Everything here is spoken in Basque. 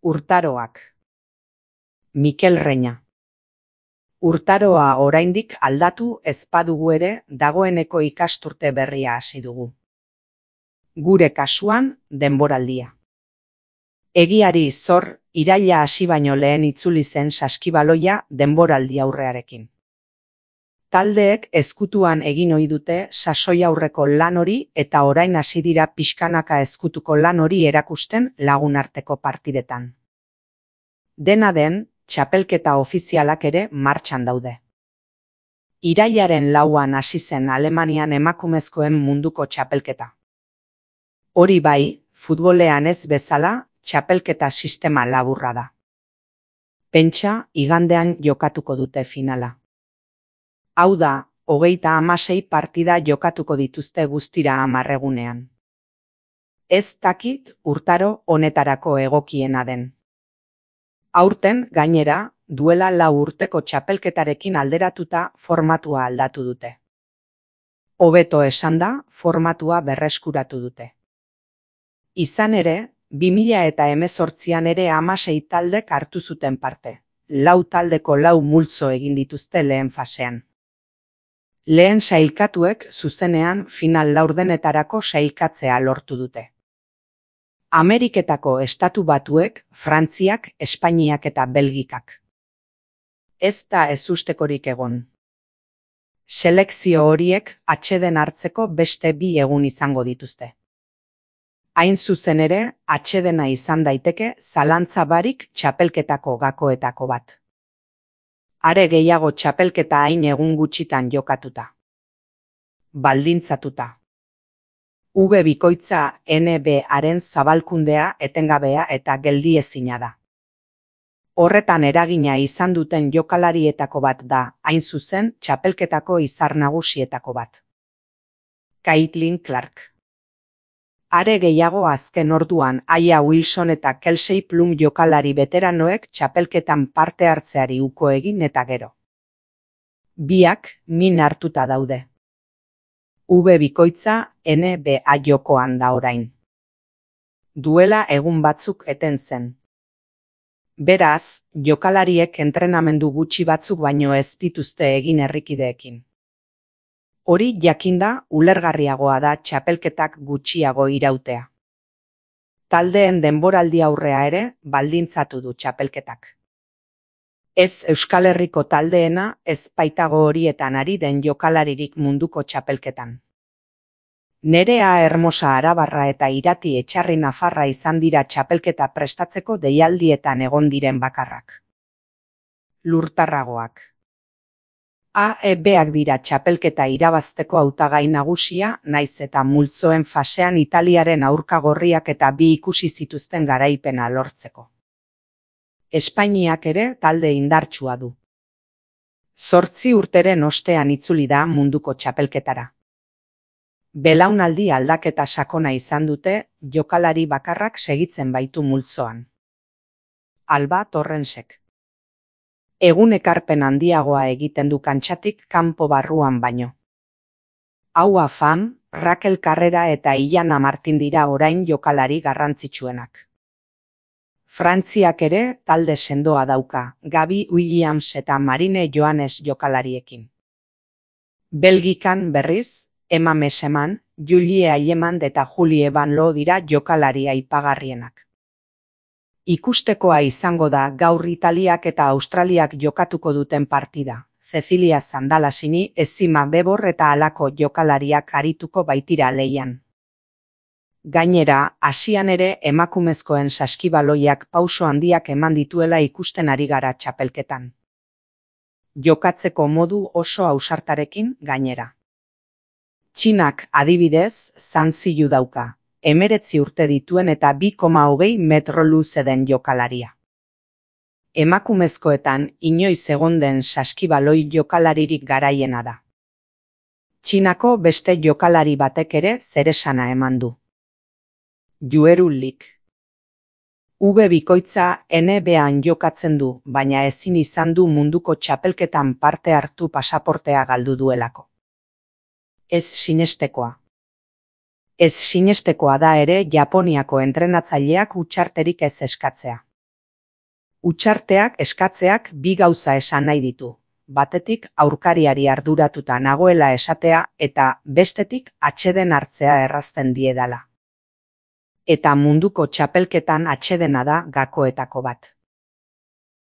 Urtaroak. Mikel Reña. Urtaroa oraindik aldatu ez badugu ere, dagoeneko ikasturte berria hasi dugu. Gure kasuan, denboraldia. Egiari zor, iraila hasi baino lehen itzuli zen saskibaloia denboraldi aurrearekin. Taldeek ezkutuan egin ohi dute sasoi aurreko lan hori eta orain hasi dira pixkanaka ezkutuko lan hori erakusten lagunarteko partidetan. Dena den, txapelketa ofizialak ere martxan daude. Irailaren 4an hasi zen Alemanian emakumezkoen munduko txapelketa. Hori bai, futbolean ez bezala, txapelketa sistema laburra da. Pentsa, igandean jokatuko dute finala. Hau da, 36 partida jokatuko dituzte guztira 10 egunean. Ez dakit urtaro honetarako egokiena den. Aurten, gainera, duela 4 urteko txapelketarekin alderatuta formatua aldatu dute. Hobeto esanda, formatua berreskuratu dute. Izan ere, 2018an ere 16 taldek hartu zuten parte. 4 taldeko 4 multzo egin dituzte lehen fasean. Lehen sailkatuek zuzenean final laurdenetarako sailkatzea lortu dute. Ameriketako Estatu Batuek, Frantziak, Espainiak eta Belgikak. Ez da ezustekorik egon. Selekzio horiek atseden hartzeko beste 2 egun izango dituzte. Hain zuzen ere, atsedena izan daiteke zalantza barik txapelketako gakoetako bat. Are gehiago txapelketa hain egun gutxitan jokatuta. Baldintzatuta. V bikoitza NBA-ren zabalkundea etengabea eta geldiezina da. Horretan eragina izan duten jokalarietako bat da, hain zuzen, txapelketako izar nagusietako bat. Caitlin Clark. Are gehiago azken orduan Aya Wilson eta Kelsey Plum jokalari beteranoek txapelketan parte hartzeari uko egin eta gero. Biak min hartuta daude. V bikoitza NBA jokoan da orain. Duela egun batzuk eten zen. Beraz, jokalariek entrenamendu gutxi batzuk baino ez dituzte egin herrikideekin. Hori jakinda ulergarriagoa da txapelketak gutxiago irautea. Taldeen denboraldi aurrea ere baldintzatu du txapelketak. Ez Euskal Herriko taldeena ez baitago horietan ari den jokalaririk munduko txapelketan. Nerea Hermosa Arabarra eta Irati Etxarri Nafarra izan dira txapelketa prestatzeko deialdietan egon diren bakarrak. Lurtarragoak. AEBak dira txapelketa irabazteko hautagai nagusia, naiz eta multzoen fasean Italiaren aurka gorriak eta 2 ikusi zituzten garaipena lortzeko. Espainiak ere talde indartsua du. 8 urteren ostean itzuli da munduko txapelketara. Belaunaldi aldaketa sakona izan dute, jokalari bakarrak segitzen baitu multzoan. Alba Torrensek. Egun ekarpen handiagoa egiten du kantxatik kanpo barruan baino. Hau Afam, Rakel Carrera eta Ilana Martin dira orain jokalari garrantzitsuenak. Frantziak ere talde sendoa dauka, Gabi Williams eta Marine Johannes jokalariekin. Belgikan berriz, Emma Meseman, Julie Ailemand eta Julie Van Loo dira jokalari aipagarrienak. Ikustekoa izango da gaur Italiak eta Australiak jokatuko duten partida. Cecilia Zandalasini, Ezima Bebor eta halako jokalariak arituko baitira lehian. Gainera, Asian ere emakumezkoen saskibaloiak pauso handiak eman dituela ikusten ari gara txapelketan. Jokatzeko modu oso ausartarekin gainera. Txinak adibidez, Zanziyu dauka, 19 urte dituen eta 2,20 metro luze den jokalaria. Emakumezkoetan inoiz egon den saskibaloi jokalaririk garaiena da. Txinako beste jokalari batek ere zeresana eman du. Jueru Lik. V bikoitza NBA-an jokatzen du, baina ezin izan du munduko txapelketan parte hartu pasaportea galdu duelako. Ez sinestekoa. Ez sinestekoa da ere Japoniako entrenatzaileak hutsarterik ez eskatzea. Hutsarteak eskatzeak bi gauza esan nahi ditu. Batetik aurkariari arduratuta nagoela esatea eta bestetik atseden hartzea errazten diedala. Eta munduko txapelketan atsedena da gakoetako bat.